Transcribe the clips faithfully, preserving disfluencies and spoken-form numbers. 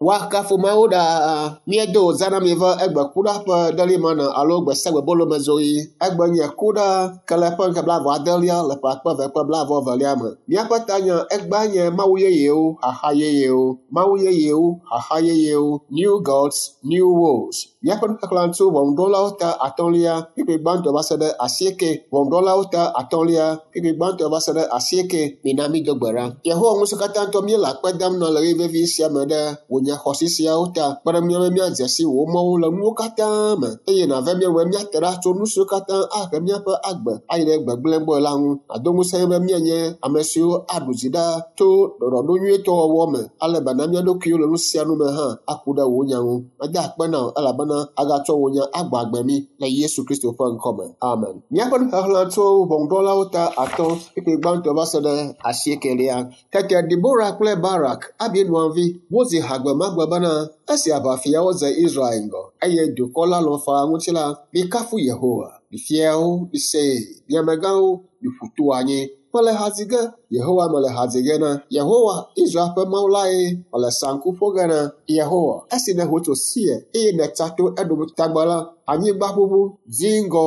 Woakafu Mawu ɖaa. Míedo wòzã na mi va egbe ku ɖa ƒe ɖelimana alo gbe sia gbe bolomezɔɣi. Egbe nye ku ɖa ke le ƒe ŋkeke blaeve adelia le ƒe akpe eve kple blaeve evelia me. Míaƒe tanya egbea nye Mawu yeyewo, xaxa yeyewo. Mawu yeyewo, xaxa yeyewo. New gods, new woes. Míaƒe nuxexlẽ tso ʋɔnudrɔ̃lawo ta atɔ̃lia kpukpui gbãtɔ va se ɖe asieke. Ʋɔnudrɔ̃lawo ta atɔ̃lia kpukpui gbãtɔ va se ɖe asieke. Mina mído gbe ɖa. Yehowa ŋusẽkatãtɔ míele akpe dam na le ɣeyiɣi vevi sia me ɖe wò nya xɔasi siawo ta. Kpe ɖe mía be míadze si wò mɔwo le nuwo katã me eye nàve mía ŋu be míate ɖa tso nu siwo katã ahe míaƒe agbe ayi ɖe gbegblẽ gbɔe la ŋu. Nàdo ŋusẽ be míanye ame siwo aɖu dzi ɖaa to ɖɔɖɔɖo nyuietɔ wɔwɔ me ale be na mía ɖokuiwo le nu sia nu me hã aku ɖe wò nya ŋu. Meda akpe na wò elabena agatsɔ wò nya agbɔ agbe mí le Yesu Kristo ƒe ŋkɔme. Amen. Míaƒe nuxexlẽ tso ʋɔnudrɔ̃lawo ta atɔ̃ kpukpui gbãtɔ va se ɖe asiekelia. Tete Debora kple Barak, Abinoam vi, wodzi ha gbe ma gbe bena esi aʋafiawo dze Israel ŋgɔ eye dukɔ la lɔ̃ faa ŋuti la, mikafu Yehowa. Mi fiawo, misee, mi amegãwo, miƒu to anyi. Mele ha dzi ge, Yehowa mele ha dzi ge na. Yehowa, Israel ƒe Mawu lae mele saŋku ƒo ge na. Yehowa, esi nèho tso Seir eye nètsa to Edom tagba la, anyigba ʋuʋu, dziŋgɔ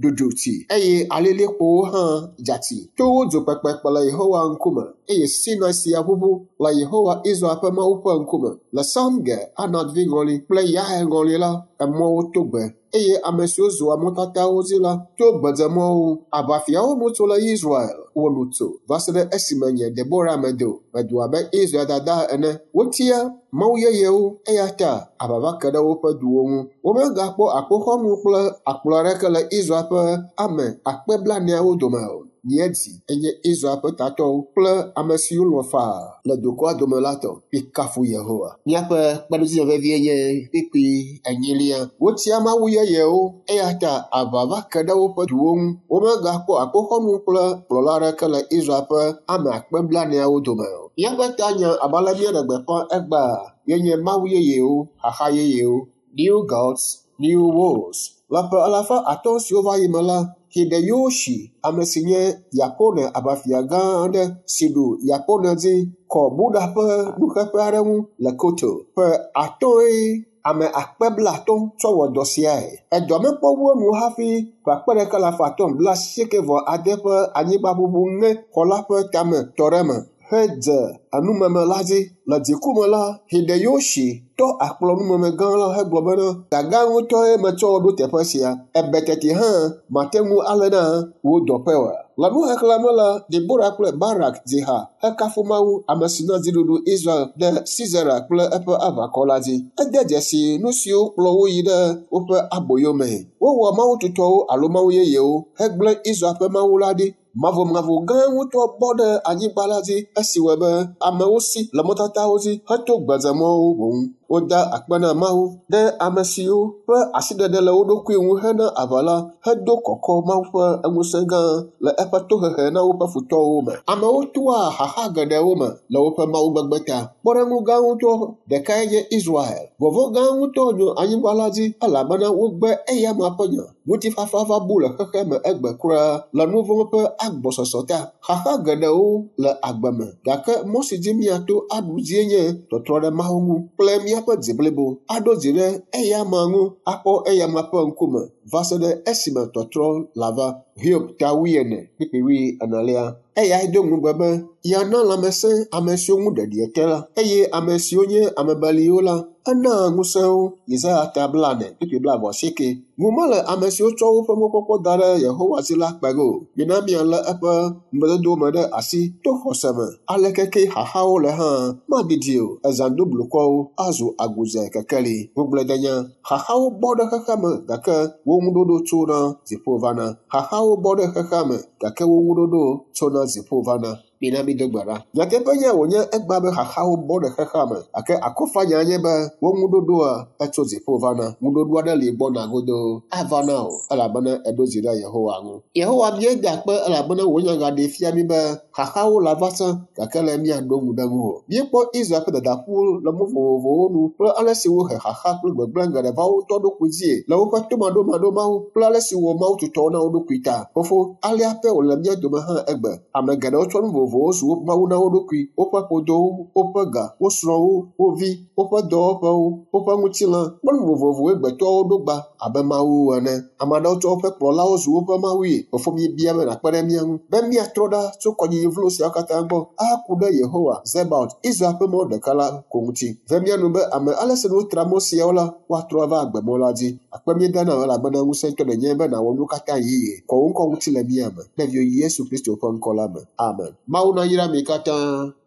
ɖuɖu tsi eye alilikpowo hã dza tsi. Towo dzo kpekpekpe le Yehowa ŋkume eye Sinai sia ʋuʋu le Yehowa Israel ƒe Mawu ƒe ŋkume. Le Samge, Anat vi ŋɔli kple Yael ŋɔli la, emɔwo to gbe eye ame siwo zɔa mɔtatawo dzi la to gbedzemɔwo. Aʋafiawo nu tso le Israel, wo nu tso va se ɖe esime nye Debora medo, medo abe Israel dada ene. Wotia mawu yeyewo eya ta aʋa va ke ɖe woƒe duwo ŋu. Womegakpɔ akpoxɔnu kple akplɔ aɖeke le Israel ƒe ame akpe blaeneawo dome o. Nye dzi enye Israel ƒe tatɔwo kple ame siwo lɔ̃ faa le dukɔa dome la tɔ. Mikafu Yehowa. Míaƒe kpeɖodzinya vevie nye kpukpui enyilia. Wotia mawu yeyewo eya ta aʋa va ke ɖe woƒe duwo ŋu. Womegakpɔ akpoxɔnu kple kplɔla aɖeke le Israel ƒe ame akpe blaeneawo dome o. Míaƒe tanya abe ale míeɖe gbeƒã egbea yenye Mawu yeyewo, xaxa yeyewo. New gods, new woes. Le ƒe alafa atɔ̃ siwo va yi me la, Hideyoshi, ame si nye Yapone aʋafia gã aɖe si ɖu Yapone dzi, kɔ Buddha ƒe nuxeƒe aɖe ŋu le Kyoto. Ƒe atɔ̃e ame akpe blaatɔ̃ tsɔ wɔ dɔ siae. Edɔ mekpɔ wu enu hafi ƒe akpe ɖeka alafa atɔ̃ blaasieke vɔ ade ƒe anyigbaʋuʋu ŋe xɔ la ƒe tame tɔ ɖe eme hedze enumeme la dzi. Le dziku me la, Hideyoshi tɔ akplɔ numeme gã la hegblɔ bena, gã ŋutɔe metsɔ ɖo teƒe sia. Ebe teti hã mate ŋu alé na wò dɔƒe oa. Le nuxexlẽ me la, Debora kple Barak dzi ha hekafu Mawu, ame si na dziɖuɖu Israel ɖe Sisera kple eƒe aʋakɔ la dzi. Ede dzesi nu siwo kplɔ wo yi ɖe woƒe aboyo mee. Wowɔ mawu tutɔwo alo mawu yeyewo hegblẽ Israel ƒe Mawu la ɖi. Mavomavo gã ŋutɔ bɔ ɖe anyigba la dzi esi wɔe be amewo si le mɔtatawo dzi heto gbedzemɔwo boŋ. Woda akpe na Mawu ɖe ame siwo ƒe asiɖeɖe le wo ɖokui ŋu hena aʋa la hedo kɔkɔ Mawu ƒe ŋusẽ gã le eƒe tohehe na woƒe futɔwo me. Amewo toa xaxa geɖewo me le woƒe mawugbegbe ta. Kpɔɖeŋu gã ŋutɔ ɖekae nye Israel. Vɔvɔ̃ gã ŋutɔ nɔ anyigba la dzi elabena wogbe eyama ƒe nya. Ŋutifafa va bu le xexea me egbe kura le nu vɔ̃ ƒe agbɔsɔsɔ ta. Xaxa geɖewo le agbe me gake mɔ si dzi míato aɖu dzie nye tɔtrɔ ɖe Mawu ŋu kple míaƒe dzi blibo aɖo dzi ɖe eyama ŋu akpɔ eyama ƒe ŋkume va se ɖe esime tɔtrɔ lava. Hiob ta wuiene kpukpui wuienelia. Eyae do ŋugbe be yeana lãmesẽ ame siwo ŋu ɖeɖi te la eye ame siwo nye ame beliwo la, enaa ŋusẽ wo. Yesaya ta blaene kpukpui blaeve asieke. Ŋu mele ame siwo tsɔ woƒe mɔkpɔkpɔ da ɖe Yehowa dzi la kpe ge o. Mina míalé eƒe ŋugbedodo me ɖe asi to xɔse me. Aleke ke xaxawo le hã, madidi o. Ezã do blukɔwo azu agudze kekeli. Ŋugbledenya. Xaxawo bɔ ɖe xexea me gake wo ŋuɖoɖo tsona dziƒo vana. Xaxawo bɔ ɖe xexea me gake wo ŋuɖoɖo tsona dziƒo vana. Mina mído gbe ɖa. Nyateƒe nye wònye egbea be xaxawo bɔ ɖe xexea me gake akɔfanya nye be wo ŋuɖoɖoa etso dziƒo vana. Ŋuɖoɖo aɖe li gbɔna godoo ava na wò elabena eɖo dzi ɖe Yehowa ŋu. Yehowa míeda akpe elabena wò nya gaɖee fia mí be xaxawo lava sẽ gake le míaɖo ŋu ɖe ŋu o. Míekpɔ Israel ƒe dadaƒu le mɔ vovovowo nu kple ale si wohe xaxa kple gbegblẽ geɖe va wo ŋutɔ ɖokui dzie le woƒe tomaɖomaɖo Mawu kple ale si wɔ Mawu tutɔwo na wo ɖokui ta. Fofo, alea pɛ wòle mía dome hã egbe. Ame geɖewo tsɔ nu vovovowo vovovowo zu mawu na wo ɖokui, woƒe ƒodowo, woƒe ga, wo srɔ̃wo, wo vi, woƒe dɔwɔƒewo, woƒe ŋutilã kple nu vovovowoe gbetɔwo ɖo gba abe mawu ene. Ame aɖewo tsɔ woƒe kplɔlawo zu woƒe mawue. Fofo míebia be nàkpe ɖe mía ŋu be míatrɔ ɖa tso kɔnyinyi vlo siawo katã gbɔ ahaku ɖe Yehowa Zebaot, Israel ƒe Mawu ɖeka la ko ŋuti. Ve mía nu be ame ale si wotra mɔ siawo la, woatrɔ ava agbemɔ la dzi. Akpe míeda na wò elabena ŋusẽtɔ nènye be nàwɔ nu katã yeye. Kɔ wò ŋkɔ ŋuti le mía me. Le viwò Yesu Kristo ƒe ŋkɔ la me. Amen. Mawu nayra mi katã.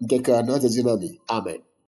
Ŋkekea nadze edzi na mi. Amen.